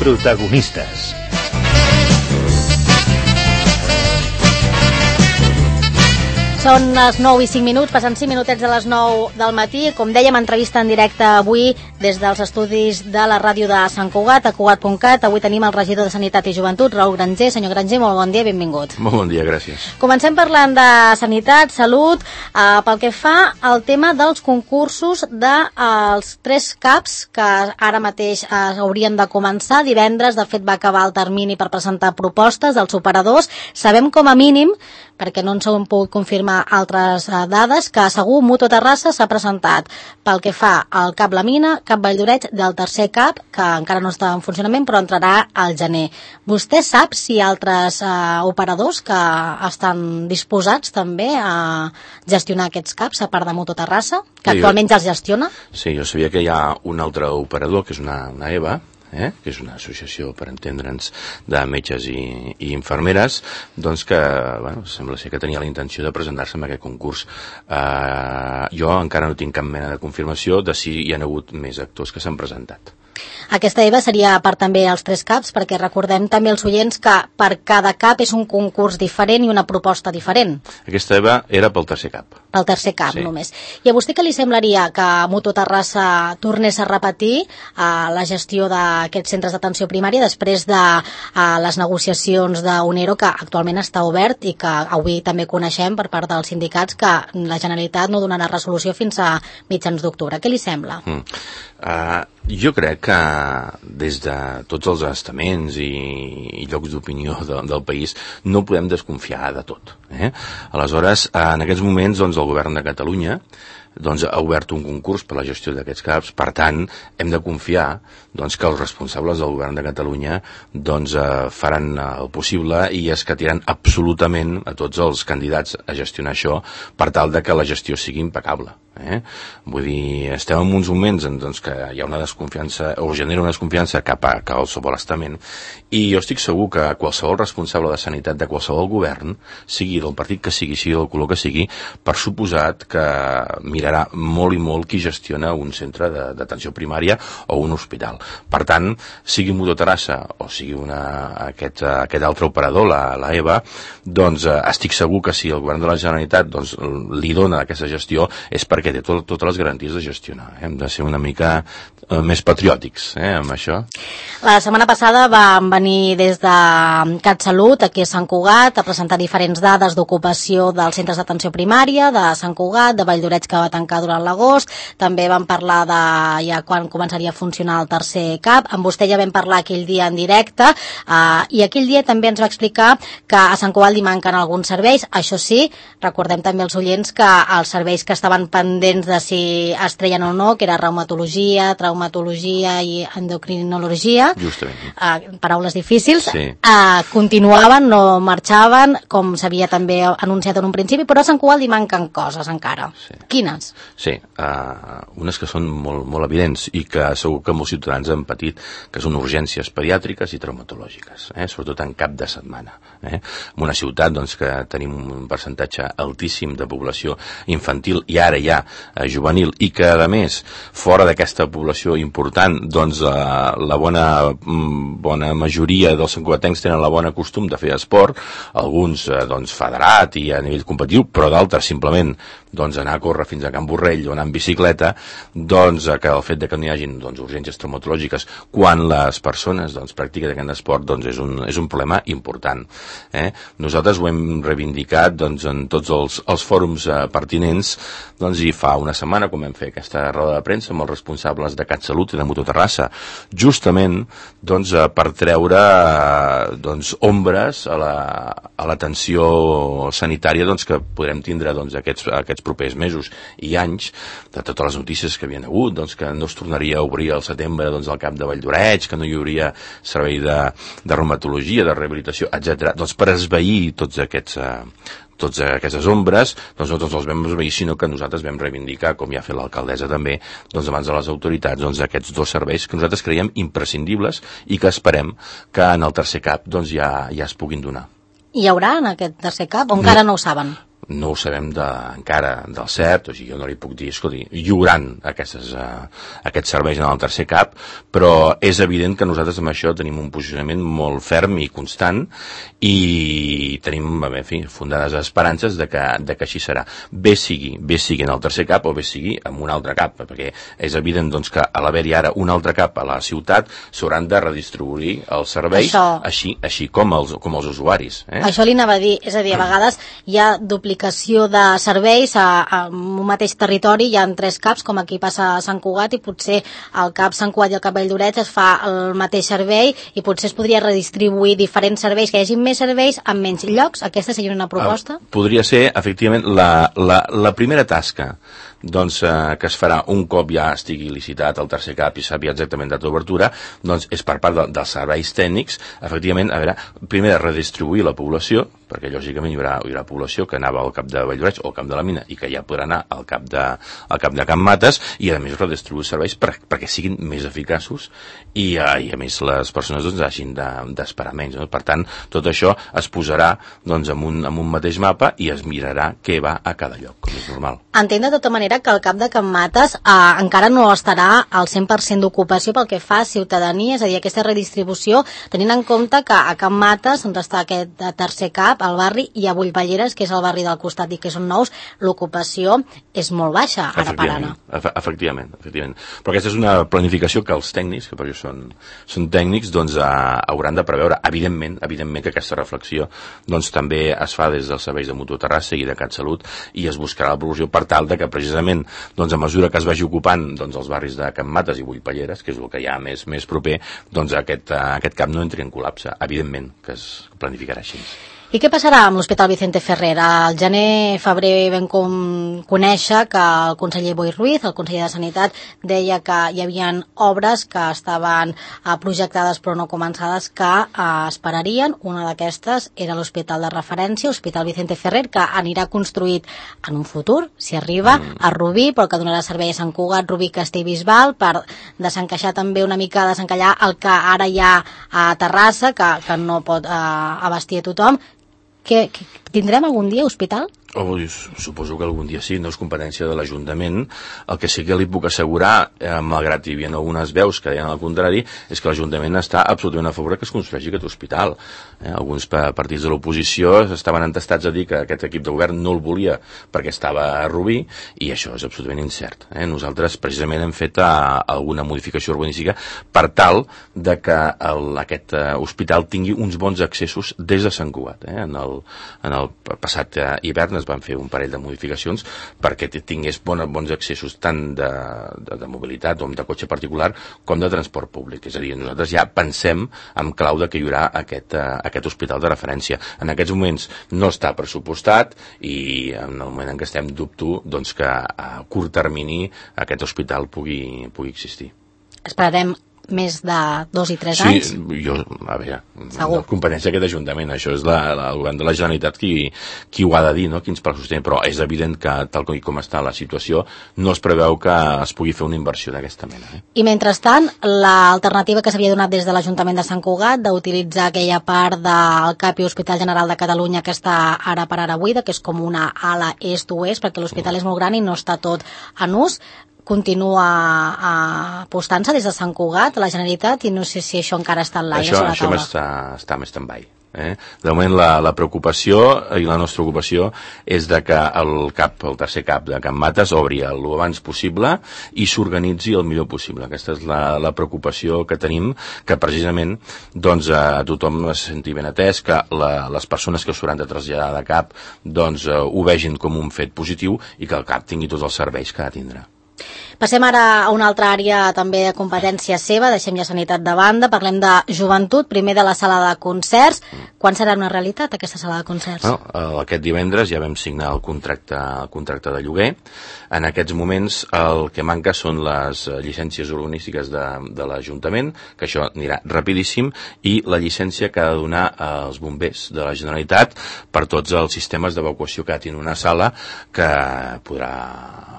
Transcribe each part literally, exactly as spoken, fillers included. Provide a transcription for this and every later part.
Protagonistes. Són les nou i cinc minuts, passen cinc minutets de les nou del matí. Com dèiem, entrevista en directe avui des dels estudis de la ràdio de Sant Cugat, a cugat punt cat. Avui tenim el regidor de Sanitat i Joventut, Raül Granger. Senyor Granger, molt bon dia i benvingut. Molt bon dia, gràcies. Comencem parlant de sanitat, salut, eh, pel que fa al tema dels concursos dels de, eh, tres CAPs que ara mateix eh, haurien de començar. Divendres, de fet, va acabar el termini per presentar propostes dels operadors. Sabem com a mínim, perquè no ens ho hem pogut confirmar altres eh, dades, que segur Mutu Terrassa s'ha presentat pel que fa al CAP La Mina, CAP Valldoreix, del tercer CAP, que encara no està en funcionament, però entrarà al gener. Vostè sap si hi ha altres eh, operadors que estan disposats també a gestionar aquests CAPs, a part de Mutu Terrassa, que sí, actualment ja els gestiona? Sí, jo sabia que hi ha un altre operador, que és una, una E V A, Eh? que és una associació, per entendre'ns, de metges i, i infermeres, doncs que, bueno, sembla ser que tenia la intenció de presentar-se en aquest concurs. Eh, jo encara no tinc cap mena de confirmació de si hi ha hagut més actors que s'han presentat. Aquesta E V A seria a part també els tres CAPs, perquè recordem també als oients que per cada CAP és un concurs diferent i una proposta diferent. Aquesta E V A era pel tercer CAP. Pel tercer CAP, sí. Només. I a vostè què li semblaria que Mutu Terrassa tornés a repetir eh, la gestió d'aquests centres d'atenció primària després de eh, les negociacions d'Unero, que actualment està obert i que avui també coneixem per part dels sindicats que la Generalitat no donarà resolució fins a mitjans d'octubre. Què li sembla? Mm. Uh, jo crec que des de tots els estaments i, i llocs d'opinió de, del país no podem desconfiar de tot. Eh? Aleshores, en aquests moments, doncs, el govern de Catalunya doncs, ha obert un concurs per la gestió d'aquests CAPs. Per tant, hem de confiar doncs, que els responsables del govern de Catalunya doncs, eh, faran el possible i escatiran absolutament a tots els candidats a gestionar això per tal de que la gestió sigui impecable. Eh? Vull dir, estem en uns moments en doncs, que hi ha una desconfiança o genera una desconfiança cap a qualsevol estament, i jo estic segur que qualsevol responsable de sanitat de qualsevol govern, sigui del partit que sigui, sigui del color que sigui, per suposat que mirarà molt i molt qui gestiona un centre d'atenció primària o un hospital. Per tant, sigui Mutu Terrassa o sigui una, aquest, aquest altre operador, la, la E V A, doncs eh, estic segur que si el govern de la Generalitat doncs, li dona aquesta gestió és perquè té tot, totes les garanties de gestionar. Eh? Hem de ser una mica eh, més patriòtics eh, amb això. La setmana passada vam venir des de CatSalut, aquí a Sant Cugat, a presentar diferents dades d'ocupació dels centres d'atenció primària, de Sant Cugat, de Valldoreix, que va tancar durant l'agost. També vam parlar de ja quan començaria a funcionar el tercer CAP. Amb vostè ja vam parlar aquell dia en directe, eh, i aquell dia també ens va explicar que a Sant Cugat li manquen alguns serveis. Això sí, recordem també als oients que els serveis que estaven pendents de si es treien o no, que era reumatologia, traumatologia i endocrinologia, justament, eh, paraules difícils, sí. eh, continuaven, no marxaven, com s'havia també anunciat en un principi, però a Sant Cugat li manquen coses encara. Sí. Quines? Sí, uh, unes que són molt, molt evidents i que segur que molts ciutadans han patit, que són urgències pediàtriques i traumatològiques, eh? sobretot en cap de setmana. Eh? En una ciutat doncs, que tenim un percentatge altíssim de població infantil i ara ja eh, juvenil, i que a més fora d'aquesta població important doncs eh, la bona, bona majoria dels santcugatencs tenen la bona costum de fer esport, alguns eh, doncs federat i a nivell competitiu, però d'altres simplement doncs anar a córrer fins a Can Borrell o anar en bicicleta, doncs que el fet de que no hi hagin doncs, urgències traumatològiques quan les persones doncs, practiquen aquest esport doncs, és, un, és un problema important. Eh? Nosaltres ho hem reivindicat doncs, en tots els, els fòrums eh, pertinents, doncs, i fa una setmana quan vam fer aquesta roda de premsa amb els responsables de CatSalut i de Mutu Terrassa, justament doncs, eh, per treure eh, doncs, ombres a l'atenció la, sanitària doncs, que podrem tindre doncs, aquests, aquests propers mesos i anys, de totes les notícies que havien hagut, doncs, que no es tornaria a obrir al setembre doncs, al CAP de Valldoreix, que no hi hauria servei de, de reumatologia, de rehabilitació, etcètera. Doncs per esvair tots aquests eh, tots aquestes ombres, doncs no tots els vam esvair, sinó que nosaltres vam reivindicar, com ja ha fet l'alcaldessa també, doncs abans de les autoritats, doncs aquests dos serveis que nosaltres creiem imprescindibles i que esperem que en el tercer CAP doncs ja, ja es puguin donar. Hi haurà en aquest tercer CAP o encara no, no ho saben? no ho sabem de, encara del cert, o sigui, jo no li puc dir, escolti, hi haurà aquestes, uh, aquests serveis en el tercer cap, però és evident que nosaltres amb això tenim un posicionament molt ferm i constant i tenim, en fi, fundades esperances de que, de que així serà. Bé sigui, bé sigui en el tercer cap o bé sigui en un altre cap, perquè és evident doncs, que a l'haver-hi ara un altre cap a la ciutat s'hauran de redistribuir els serveis, això, així, així com, els, com els usuaris. Eh? Això li anava a dir, és a dir, a vegades hi ha duplicació de serveis a, a un mateix territori, hi ha tres caps, com aquí passa a Sant Cugat, i potser el cap Sant Cugat i el cap Valldoreix es fa el mateix servei i potser es podria redistribuir diferents serveis, que hi hagi més serveis en menys llocs. Aquesta seria una proposta? Uh, podria ser, efectivament, la, la, la primera tasca doncs, eh, que es farà un cop ja estigui licitat el tercer cap i sàpiga exactament data d'obertura, doncs és per part de, dels serveis tècnics, efectivament, a veure, primer de redistribuir la població, perquè lògicament hi haurà, hi haurà població que anava al cap de Valldoreix o al cap de la Mina i que ja podrà anar al cap de, al cap de Can Mates, i a més redistribuir serveis per, perquè siguin més eficaços i, eh, i a més les persones doncs, hagin d'esperar de, menys. No? Per tant, tot això es posarà doncs, en, un, en un mateix mapa i es mirarà què va a cada lloc, com és normal. Entenc de tota manera que el cap de Can Mates eh, encara no estarà al cent per cent d'ocupació pel que fa a ciutadania, és a dir, aquesta redistribució, tenint en compte que a Can Mates on està aquest tercer cap, al barri, i a Bullpalleres, que és el barri del costat i que són nous, l'ocupació és molt baixa ara per ara. Efectivament, efectivament. Però aquesta és una planificació que els tècnics, que perquè són, són tècnics, doncs eh, hauran de preveure. Evidentment, evidentment que aquesta reflexió doncs també es fa des dels serveis de Mutu Terrassa i de CatSalut i es buscarà la promoció per tal de que precisament doncs, a mesura que es vagi ocupant doncs, els barris de Can Mates i Bullpalleres, que és el que hi ha més, més proper, doncs aquest, aquest cap no entri en col·lapse. Evidentment que es planificarà així. I què passarà amb l'Hospital Vicente Ferrer? Al gener-febrer vam com conèixer que el conseller Boi Ruiz, el conseller de Sanitat, deia que hi havia obres que estaven eh, projectades però no començades que eh, esperarien. Una d'aquestes era l'hospital de referència, l'Hospital Vicente Ferrer, que anirà construït en un futur, si arriba, a Rubí, però que donarà servei a Sant Cugat, Rubí, Castellbisbal, per desencaixar també una mica, desencallar el que ara hi ha a Terrassa, que, que no pot eh, abastir a tothom. Que, que tindrem algun dia hospital? Oh, suposo que algun dia sí, no és competència de l'Ajuntament. El que sí que li puc assegurar, eh, malgrat hi havia algunes veus que deien el contrari, és que l'Ajuntament està absolutament a favor que es construeixi aquest hospital. Eh, alguns partits de l'oposició estaven entestats a dir que aquest equip de govern no el volia perquè estava a Rubí, i això és absolutament incert. Eh? Nosaltres precisament hem fet a, alguna modificació urbanística per tal de que el, aquest uh, hospital tingui uns bons accessos des de Sant Cugat. Eh? En, el, en el passat uh, hivern es van fer un parell de modificacions perquè tingués bons, bons accessos tant de, de, de mobilitat o de cotxe particular com de transport públic. És a dir, nosaltres ja pensem en clau de que hi haurà aquest, uh, aquest hospital de referència. En aquests moments no està pressupostat i en el moment en què estem dubto doncs, que a curt termini aquest hospital pugui, pugui existir. Esperarem més de dos i tres sí, anys? Sí, jo, a veure, no competència aquest Ajuntament, això és la, la, el govern de la Generalitat qui, qui ho ha de dir, no? Quins passos té, però és evident que tal com, com està la situació no es preveu que es pugui fer una inversió d'aquesta mena. Eh? I mentrestant, l'alternativa que s'havia donat des de l'Ajuntament de Sant Cugat d'utilitzar aquella part del C A P i Hospital General de Catalunya que està ara per ara buida, que és com una ala est-oest, perquè l'hospital és molt gran i no està tot en ús, continua apostant-se des de Sant Cugat, la Generalitat, i no sé si això encara està en l'aire sobre la taula. Això està, està més stand-by. Eh? De moment la, la preocupació i la nostra ocupació és de que el cap, el tercer cap de Can Mates obri el abans possible i s'organitzi el millor possible. Aquesta és la, la preocupació que tenim, que precisament doncs, a tothom es senti ben atès, que la, les persones que s'hauran de traslladar de cap doncs, ho vegin com un fet positiu i que el cap tingui tots els serveis que ha de tindre. Passem ara a una altra àrea també de competència seva, deixem ja sanitat de banda, parlem de joventut, primer de la sala de concerts. Quan serà una realitat aquesta sala de concerts? No, aquest divendres ja vam signar el contracte, el contracte de lloguer. En aquests moments el que manca són les llicències urbanístiques de, de l'Ajuntament, que això anirà rapidíssim, i la llicència que ha de donar als bombers de la Generalitat per tots els sistemes d'evacuació que ha tingut una sala que podrà,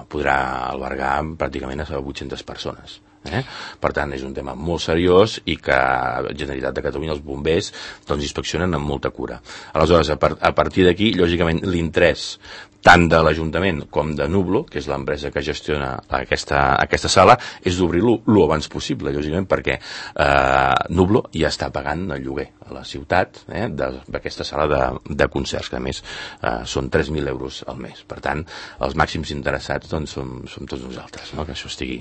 podrà albergar pràcticament a vuit-centes persones. Eh? Per tant, és un tema molt seriós i que la Generalitat de Catalunya, els bombers, doncs inspeccionen amb molta cura. Aleshores, a, par a partir d'aquí, lògicament, l'interès tant de l'Ajuntament com de Nublo, que és l'empresa que gestiona aquesta, aquesta sala, és d'obrir-lo el abans possible, lògicament, perquè eh, Nublo ja està pagant el lloguer a la ciutat eh, d'aquesta sala de, de concerts, que a més eh, són tres mil euros al mes. Per tant, els màxims interessats doncs, som, som tots nosaltres, no? Que això estigui...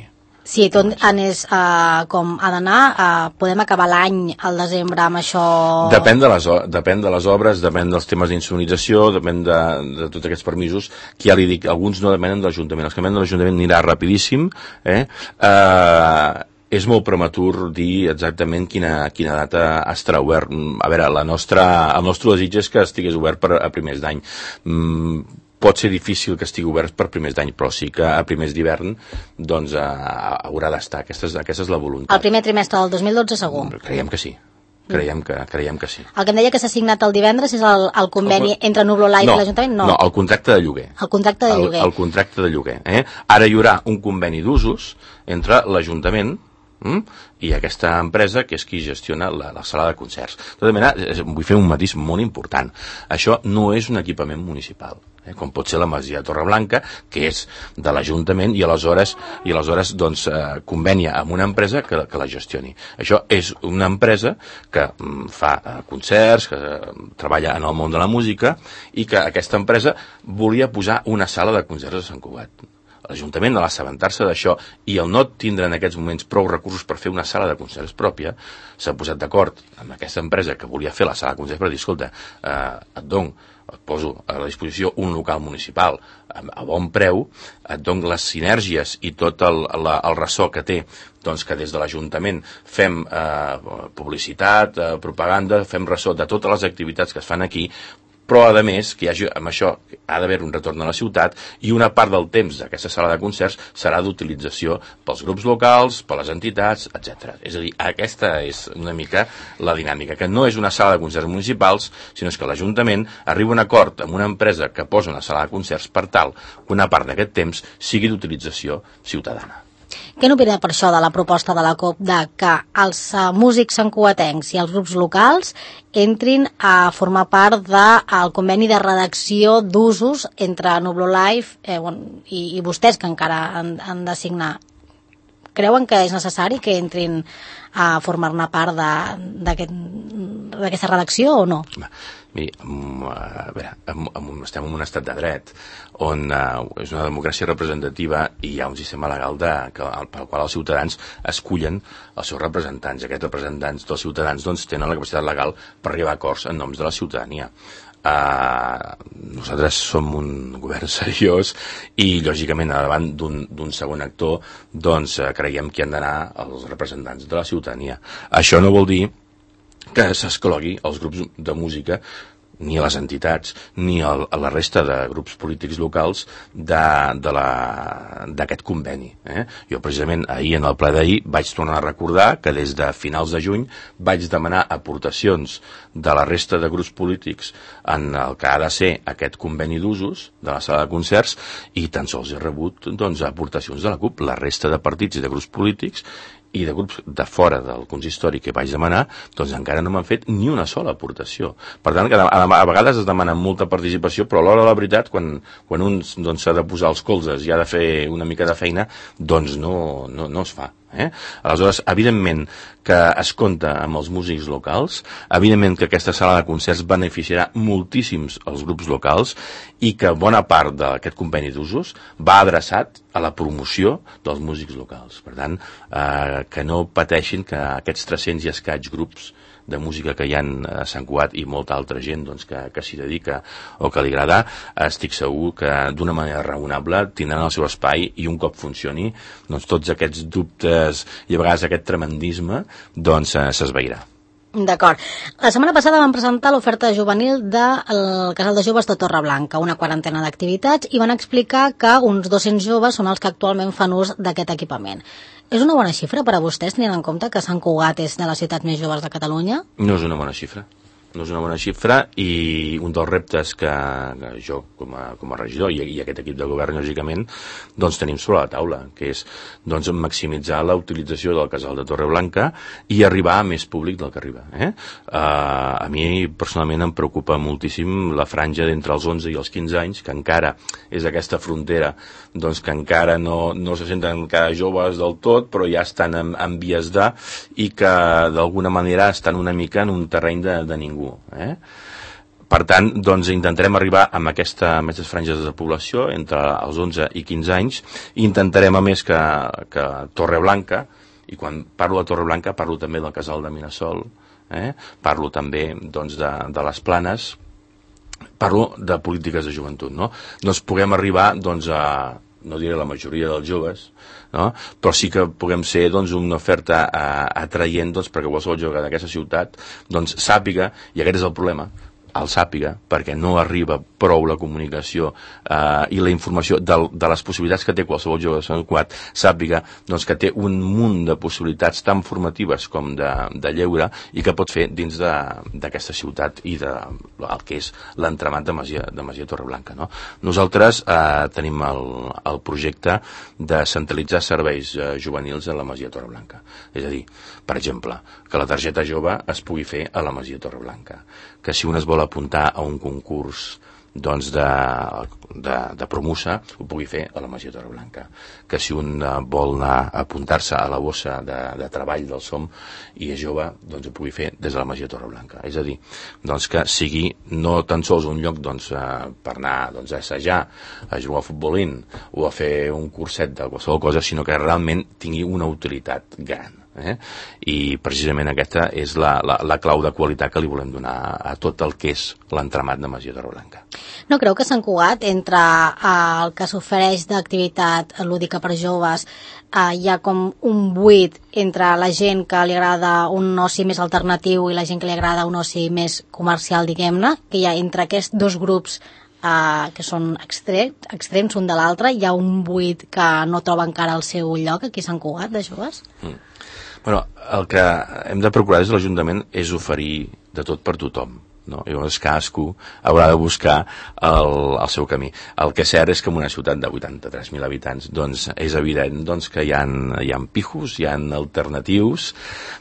Si tot anés uh, com ha d'anar, uh, podem acabar l'any al desembre amb això... Depèn de les, depèn de les obres, depèn dels temes d'insonorització, depèn de, de tots aquests permisos, que ja li dic, alguns no depenen de l'Ajuntament. Els que depenen de l'Ajuntament anirà rapidíssim, eh? Uh, és molt prematur dir exactament quina, quina data estarà obert. A veure, la nostra, el nostre desig és que estigués obert per, a primers d'any. Mm, pot ser difícil que estigui obert per primers d'any, però sí que a primers d'hivern doncs eh, haurà d'estar. Aquesta, és, aquesta és la voluntat. El primer trimestre del dos mil dotze segur? Creiem que sí. Creiem que, creiem que sí. El que em deia que s'ha signat el divendres és el, el conveni el, entre Nublo Live no, i l'Ajuntament? No, no, el contracte de lloguer. El contracte de el, lloguer. El contracte de lloguer. Eh? Ara hi haurà un conveni d'usos entre l'Ajuntament Mm? i aquesta empresa que és qui gestiona la, la sala de concerts. De tota manera, vull fer un matís molt important. Això no és un equipament municipal, eh? Com pot ser la Masia de Torreblanca, que és de l'Ajuntament i aleshores, i aleshores doncs, eh, convenia amb una empresa que, que la gestioni. Això és una empresa que mm, fa eh, concerts, que eh, treballa en el món de la música i que aquesta empresa volia posar una sala de concerts a Sant Cugat. L'Ajuntament, a l'assabentar-se d'això i el no tindre en aquests moments prou recursos per fer una sala de concerts pròpia, s'ha posat d'acord amb aquesta empresa que volia fer la sala de concerts per dir, escolta, eh, et dono, et poso a la disposició un local municipal a, a bon preu, et dono les sinergies i tot el, la, el ressò que té, doncs que des de l'Ajuntament fem eh, publicitat, eh, propaganda, fem ressò de totes les activitats que es fan aquí, però a més que hi hagi, amb això ha d'haver un retorn a la ciutat i una part del temps d'aquesta sala de concerts serà d'utilització pels grups locals, per les entitats, etcètera. És a dir, aquesta és una mica la dinàmica, que no és una sala de concerts municipals, sinó que l'Ajuntament arriba a un acord amb una empresa que posa una sala de concerts per tal que una part d'aquest temps sigui d'utilització ciutadana. Què n'opina per això de la proposta de la COP de que els uh, músics santcugatencs i els grups locals entrin a formar part del conveni de redacció d'usos entre Nublo Live eh, bueno, i, i vostès, que encara han, han de signar? Creuen que és necessari que entrin a formar-ne part d'aquesta aquest, redacció o no? Miri, a veure, estem en un estat de dret on uh, és una democràcia representativa i hi ha un sistema legal de, que, pel qual els ciutadans escullen els seus representants. Aquests representants dels ciutadans doncs, tenen la capacitat legal per arribar a acords en noms de la ciutadania. Uh, nosaltres som un govern seriós i lògicament davant d'un segon actor doncs uh, creiem que han d'anar els representants de la ciutadania. Això no vol dir que s'exclogui els grups de música ni a les entitats ni a la resta de grups polítics locals d'aquest conveni. Eh? Jo precisament ahir en el ple d'ahir vaig tornar a recordar que des de finals de juny vaig demanar aportacions de la resta de grups polítics en el que ha de ser aquest conveni d'usos de la sala de concerts i tan sols he rebut doncs, aportacions de la CUP. La resta de partits i de grups polítics i de grups de fora del consistori que vaig demanar, doncs encara no m'han fet ni una sola aportació. Per tant, a, a, a vegades es demana molta participació, però a l'hora de la veritat, quan, quan un s'ha doncs, de posar els colzes i ha de fer una mica de feina, doncs no, no, no es fa. Eh? Aleshores, evidentment que es compta amb els músics locals, evidentment que aquesta sala de concerts beneficiarà moltíssims els grups locals i que bona part d'aquest conveni d'usos va adreçat a la promoció dels músics locals. Per tant, eh, que no pateixin que aquests tres-cents i escaig grups de música que hi ha a Sant Cugat i molta altra gent doncs, que, que s'hi dedica o que li agrada, estic segur que d'una manera raonable tindran el seu espai i un cop funcioni doncs, tots aquests dubtes i a vegades aquest tremendisme doncs s'esvairà. D'acord. La setmana passada vam presentar l'oferta juvenil del Casal de Joves de Torreblanca, una quarantena d'activitats, i van explicar que uns dos-cents joves són els que actualment fan ús d'aquest equipament. És una bona xifra per a vostès, tenint en compte que Sant Cugat és de les ciutats més joves de Catalunya? No és una bona xifra. no és una bona xifra, i un dels reptes que, que jo com a, com a regidor i, i aquest equip de govern, lògicament, doncs tenim sobre la taula, que és doncs, maximitzar la utilització del casal de Torreblanca i arribar a més públic del que arriba. Eh? Uh, a mi personalment em preocupa moltíssim la franja d'entre els onze i els quinze anys, que encara és aquesta frontera doncs, que encara no, no se senten encara joves del tot, però ja estan en, en vies de, i que d'alguna manera estan una mica en un terreny de, de ningú. Eh? Per tant, doncs, intentarem arribar amb, aquesta, amb aquestes franges de població entre els onze i quinze anys, i intentarem a més que, que Torreblanca, i quan parlo de Torreblanca parlo també del casal de Minasol, eh? Parlo també doncs, de, de les Planes, parlo de polítiques de joventut, no? Doncs puguem arribar doncs, a, no diré la majoria dels joves, no? Però sí que puguem ser doncs, una oferta uh, atraient doncs, perquè qualsevol jove d'aquesta ciutat doncs, sàpiga, i aquest és el problema, el sàpiga, perquè no arriba prou la comunicació eh, i la informació de, de les possibilitats que té qualsevol jove de Sant Cugat, sàpiga doncs, que té un munt de possibilitats tan formatives com de, de lleure, i que pot fer dins d'aquesta ciutat i de el que és l'entramat de Masia, de Masia Torreblanca. No? Nosaltres eh, tenim el, el projecte de centralitzar serveis eh, juvenils a la Masia Torreblanca. És a dir, per exemple, que la targeta jove es pugui fer a la Masia Torreblanca, que si un es vol apuntar a un concurs doncs de, de, de promussa, ho pugui fer a la Masia Torreblanca, que si un vol anar a apuntar-se a la bossa de, de treball del S O M i és jove, doncs ho pugui fer des de la Masia Torreblanca. És a dir, doncs que sigui no tan sols un lloc doncs, per anar doncs, a assajar, a jugar a futbolín o a fer un curset de qualsevol cosa, sinó que realment tingui una utilitat gran. Eh? I precisament aquesta és la, la, la clau de qualitat que li volem donar a tot el que és l'entramat de Masia Torreblanca. No creu que Sant Cugat, entre eh, el que s'ofereix d'activitat lúdica per joves, eh, hi ha com un buit entre la gent que li agrada un oci més alternatiu i la gent que li agrada un oci més comercial, diguem-ne, que hi ha entre aquests dos grups Uh, que són extre extrems un de l'altre, hi ha un buit que no troba encara el seu lloc aquí a Sant Cugat de joves? Mm. Bueno, el que hem de procurar des de l'Ajuntament és oferir de tot per tothom, no? I llavors cadascú haurà de buscar el, el seu camí. El que és cert és que en una ciutat de vuitanta-tres mil habitants doncs és evident doncs, que hi ha, hi ha pijos, hi ha alternatius,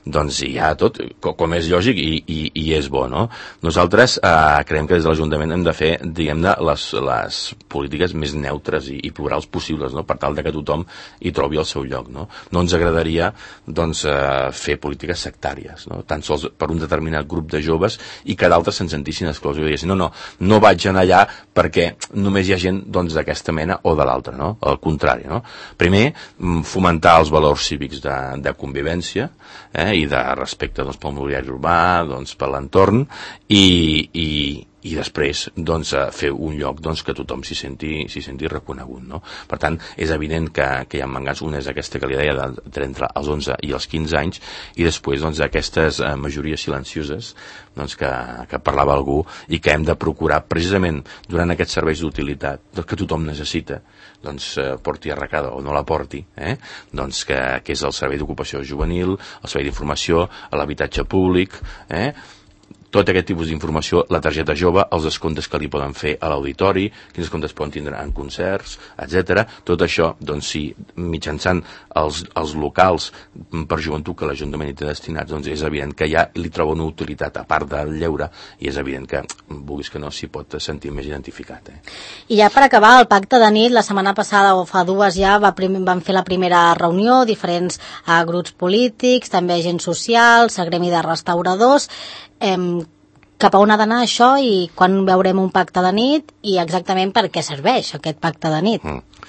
doncs hi ha tot, com és lògic i, i, i és bo, no? Nosaltres eh, creiem que des de l'Ajuntament hem de fer, diguem-ne, les, les polítiques més neutres i, i plurals possibles, no? Per tal de que tothom hi trobi el seu lloc, no? No ens agradaria doncs, eh, fer polítiques sectàries, no? Tan sols per un determinat grup de joves i que d'altres se'n sentissin exclosos i diguessin, no, no, no vaig anar allà perquè només hi ha gent doncs, d'aquesta mena o de l'altra, no? Al contrari, no? Primer, fomentar els valors cívics de, de convivència eh, i de respecte doncs, pel mobiliari urbà, doncs, per l'entorn i, i, i després doncs, fer un lloc doncs, que tothom s'hi senti, s'hi senti reconegut, no? Per tant, és evident que, que hi ha mangats, una és aquesta que li deia de, entre els onze i els quinze anys, i després doncs, aquestes eh, majories silencioses doncs, que, que parlava algú i que hem de procurar precisament durant aquests serveis d'utilitat doncs, que tothom necessita, doncs eh, porti arracada o no la porti, eh? Doncs que, que és el servei d'ocupació juvenil, el servei d'informació, l'habitatge públic, eh? Tot aquest tipus d'informació, la targeta jove, els descomptes que li poden fer a l'auditori, quins descomptes poden tindre en concerts, etcètera. Tot això, doncs sí, mitjançant els, els locals per joventut que l'Ajuntament hi té destinats, doncs és evident que ja li troba una utilitat a part del lleure i és evident que, vulguis que no, s'hi pot sentir més identificat. Eh? I ja per acabar, el pacte de nit, la setmana passada o fa dues ja va prim, van fer la primera reunió, diferents uh, grups polítics, també agents socials, el gremi de restauradors. Eh, cap a on ha d'anar això i quan veurem un pacte de nit i exactament per què serveix aquest pacte de nit? Mm.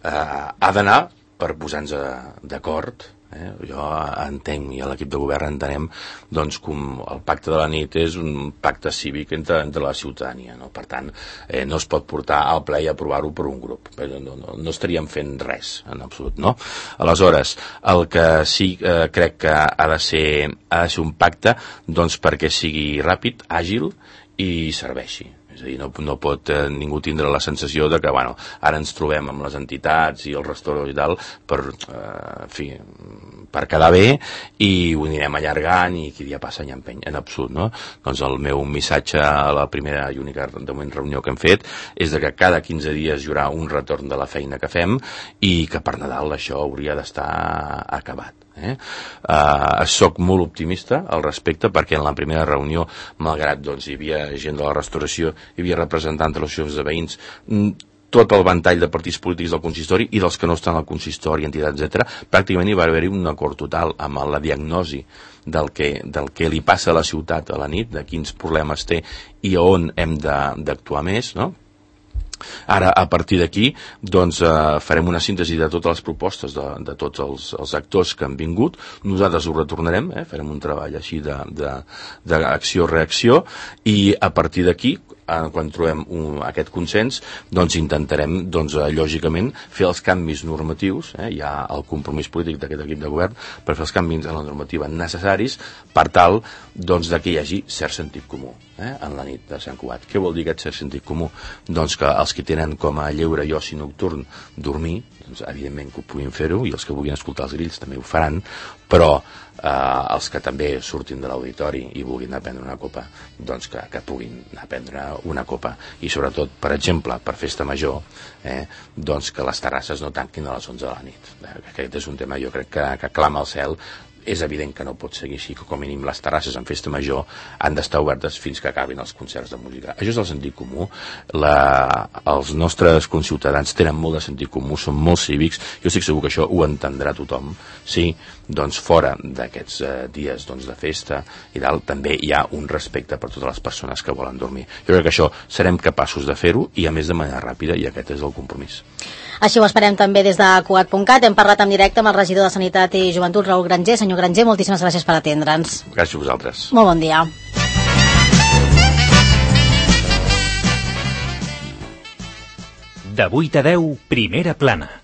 Uh, ha d'anar per posar-nos d'acord. Eh? Jo entenc i a l'equip de govern entenem doncs, com el pacte de la nit és un pacte cívic entre, entre la ciutadania, no? Per tant, eh, no es pot portar al ple i aprovar-ho per un grup, no, no, no estaríem fent res en absolut, no? Aleshores, el que sí eh, crec que ha de ser, ha de ser un pacte doncs, perquè sigui ràpid, àgil i serveixi. És a dir, no, no pot eh, ningú tindre la sensació de que, bueno, ara ens trobem amb les entitats i els restaurants i tal per, eh, en fi, per quedar bé i ho anirem allargant i qui dia passa ja empeny, en absolut, no? Doncs el meu missatge a la primera i única de moment reunió que hem fet és de que cada quinze dies hi haurà un retorn de la feina que fem i que per Nadal això hauria d'estar acabat. Eh? Uh, soc molt optimista al respecte perquè en la primera reunió, malgrat doncs, hi havia gent de la restauració, hi havia representants de les associacions de veïns, tot el ventall de partits polítics del consistori i dels que no estan al consistori, entitats, etcètera, pràcticament hi va haver-hi un acord total amb la diagnosi del que, del que li passa a la ciutat a la nit, de quins problemes té i on hem d'actuar més, no? Ara, a partir d'aquí, doncs, eh, farem una síntesi de totes les propostes de, de tots els, els actors que han vingut. Nosaltres ho retornarem, eh, farem un treball així d'acció-reacció i a partir d'aquí, eh, quan trobem un, aquest consens, doncs intentarem, doncs, eh, lògicament, fer els canvis normatius, eh, hi ha el compromís polític d'aquest equip de govern per fer els canvis en la normativa necessaris per tal, doncs, de que hi hagi cert sentit comú. Eh, en la nit de Sant Cugat. Què vol dir aquest cert sentit comú? Doncs que els que tenen com a lleure i oci nocturn dormir, doncs evidentment que ho puguin fer-ho i els que vulguin escoltar els grills també ho faran, però eh, els que també surtin de l'auditori i vulguin anar a prendre una copa, doncs que, que puguin anar a prendre una copa i sobretot, per exemple, per festa major, eh, doncs que les terrasses no tanquin a les onze de la nit. Eh, aquest és un tema, jo crec que, que clama al cel. És evident que no pot seguir així, que com a mínim les terrasses en festa major han d'estar obertes fins que acabin els concerts de música. Això és el sentit comú. La, els nostres conciutadans tenen molt de sentit comú, són molt cívics, jo estic segur que això ho entendrà tothom. Sí, doncs fora d'aquests eh, dies doncs, de festa i tal, també hi ha un respecte per totes les persones que volen dormir. Jo crec que això serem capaços de fer-ho i a més de manera ràpida, i aquest és el compromís. Així ho esperem també des de Cugat punt cat. Hem parlat en directe amb el regidor de Sanitat i Joventut, Raül Granger. Senyor Granger, moltíssimes gràcies per atendre'ns. Gràcies a vosaltres. Molt bon dia. De vuit a deu, Primera Plana.